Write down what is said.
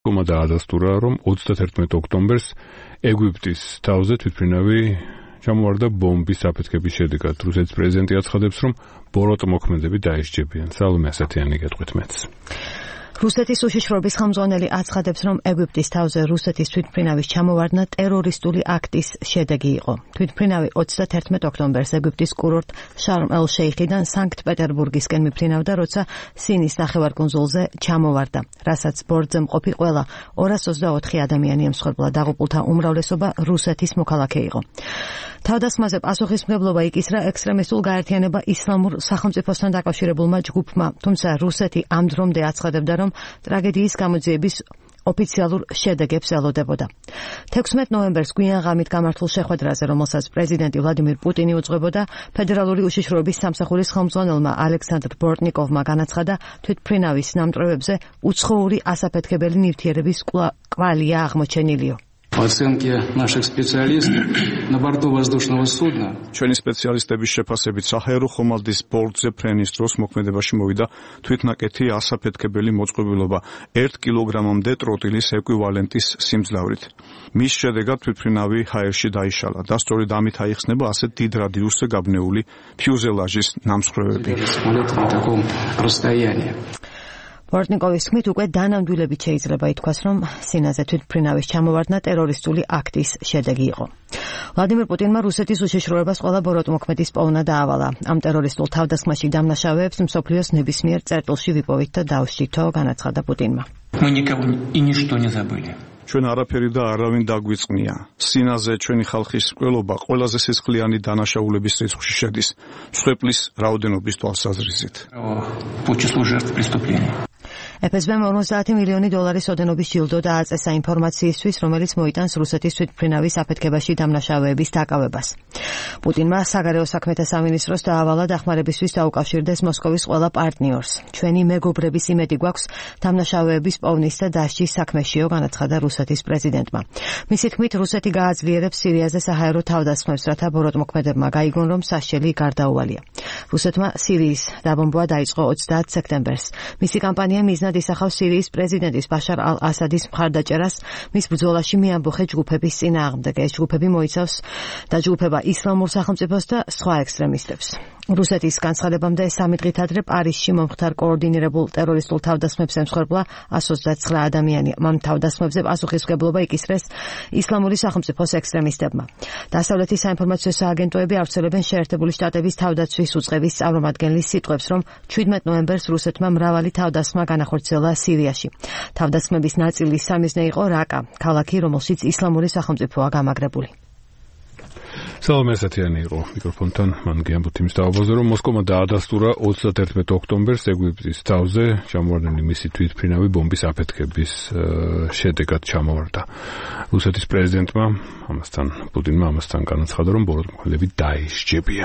დაადასტურა, რომ 31 ოქტომბერს ეგვიპტის თავზე თვითმფრინავი ჩამოვარდა ბომბის აფეთქების შედეგად. რუსეთის პრეზიდენტი აცხადებს, რომ ბოროტმოქმედები დაისჯებიან. სალომე ასათიანი გეტყვით მეც. რუსეთის უშიშროების ხელმძღვანელი აცხადებს, რომ ეგვიპტის თავზე რუსეთის თვითმფრინავის ჩამოვარდნა ტერორისტული აქტის შედეგი იყო. თვითმფრინავი 31 ოქტომბერს ეგვიპტის კურორტ შარმ-ელ-შეიხიდან სანქტ-პეტერბურგისკენ მიფრინავდა, როცა სინის ნახევარკუნძულზე ჩამოვარდა, რასაც ბორტზე მყოფი ყველა 224 ადამიანი ემსხვერპლა. დაღუპულთა უმრავლესობა რუსეთის მოქალაქე იყო. თავდასხმაზე პასუხისმგებლობა იკისრა ექსტრემისტულ გაერთიანება ისლამურ სახელმწიფოსთან დაკავშირებულმა ჯგუფმა, თუმცა რუსეთი ამ დრომდე აცხადებდა, რომ ტრაგედიის გამოძიების ოფიციალურ შედეგებს ელოდებოდა. 16 ნოემბერს გვიან ღამით გამართულ შეხვედრაზე, რომელსაც პრეზიდენტი ვლადიმირ პუტინი უძღვებოდა, ფედერალური უშიშროების სამსახურის ხელმძღვანელმა ალექსანდრ ბორტნიკოვმა განაცხადა, თვითმფრინავის ნამტვრევებზე უცხოური ასაფეთქებელი ნივთიერების კვალია აღმოჩენილიო. По оценке наших специалистов, на борту воздушного судна ჩვენი სპეციალისტების შეფასებით საჰაერო ხომალდის ბორტზე ფრენის დროს მოქმედებაში მოვიდა თვითნაკეთი ასაფეთქებელი მოწყობილობა 1 კილოგრამამდე ტროტილის ეკვივალენტის სიმძლავრით. მის შედეგად თვითმფრინავი ჰაერში დაიშალა და სწორედ ამით აიხსნება ასეთ დიდ რადიუსზე გაბნეული ფიუზელაჟის ნამსხვრევები. ბორტნიკოვის თქმით, უკვე დანამდვილებით შეიძლება ითქვას, რომ სინაზე თვითმფრინავის ჩამოვარდნა ტერორისტული აქტის შედეგი იყო. ვლადიმირ პუტინმა რუსეთის უშიშროებას ყველა ბოროტმოქმედის პოვნა დაავალა. ამ ტერორისტულ თავდასხმაში დამნაშავეებს მსოფლიოს ნებისმიერ წერტილში ვიპოვით და დავსჯითო, განაცხადა პუტინმა. Мы никого и ничто не забыли. ჩვენ არაფერი და аравინ დაგვიწყნია. სინაზე ჩვენი ხალხის მკვლელობა ყველაზე სისხლიანი დანაშაულების რიცხვში შედის. მსხვერპლის რაოდენობის თვალსაზრისით. По числу жертв преступлений. FSB-მ 50 მილიონი დოლარის ოდენობის ჯილდო დააწესა ინფორმაციისთვის, რომელიც მოიტანს რუსეთის თვითმფრინავის აფეთქებაში დამნაშავეების დაკავებას. პუტინმა საგარეო საქმეთა სამინისტროს დაავალა დახმარებისთვის დაუკავშირდეს მოსკოვის ყველა პარტნიორს. ჩვენი მეგობრების იმედი გვაქვს დამნაშავეების პოვნის და დასჯის საქმეშიო, განაცხადა რუსეთის პრეზიდენტმა. მისი თქმით, რუსეთი გააძლიერებს სირიაზე საჰაერო თავდასხმებს, რათა ბოროტმოქმედებმა გაიგონ, რომ სასჯელი გარდაუვალია. რუსეთმა სირიის დაბომბვა დაიწყო 30 სექტემბერს. მისი კამპანია მიზნად ისახავს სირიის პრეზიდენტის ბაშარ ალ-ასადის მხარდაჭერას მის ბრძოლაში მეამბოხე ჯგუფების წინააღმდეგ. ეს ჯგუფები მოიცავს დაჯგუფება ისლამურ სახელმწიფოს და სხვა ექსტრემისტებს. რუსეთის განცხადებამდე 3 დღით ადრე პარიზში მომხდარ კოორდინირებულ ტერორისტულ თავდასხმებს ემსხვერპლა 129 ადამიანი. ამ თავდასხმებზე პასუხისმგებლობა იკისრეს ისლამური სახელმწიფოს ექსტრემისტებმა. დასავლეთის საინფორმაციო სააგენტოები ავრცელებენ შეერთებული შტატების თავდაცვის უწყების წარმომადგენლის სიტყვებს, რომ 17 ნოემბერს რუსეთმა მრავალი თავდასხმა განახორციელა სირიაში. თავდასხმების ნაწილის სამიზნე იყო რაკა, ქალაქი, რომელშიც ისლამური სახელმწიფოა გამაგრებული. სალომე ასათიანი იყო მიკროფონთან. მან გიამბოთ იმის დაობაზე, რომ მოსკოვმა დაადასტურა 31 ოქტომბერს ეგვიპტის თავზე ჩამოვარდნილი მისი თვითმფრინავი ბომბის აფეთქების შედეგად ჩამოვარდა. რუსეთის პრეზიდენტმა პუტინმა ამასთან განაცხადა, რომ ბოროტმოქმედები დაისჯებიან.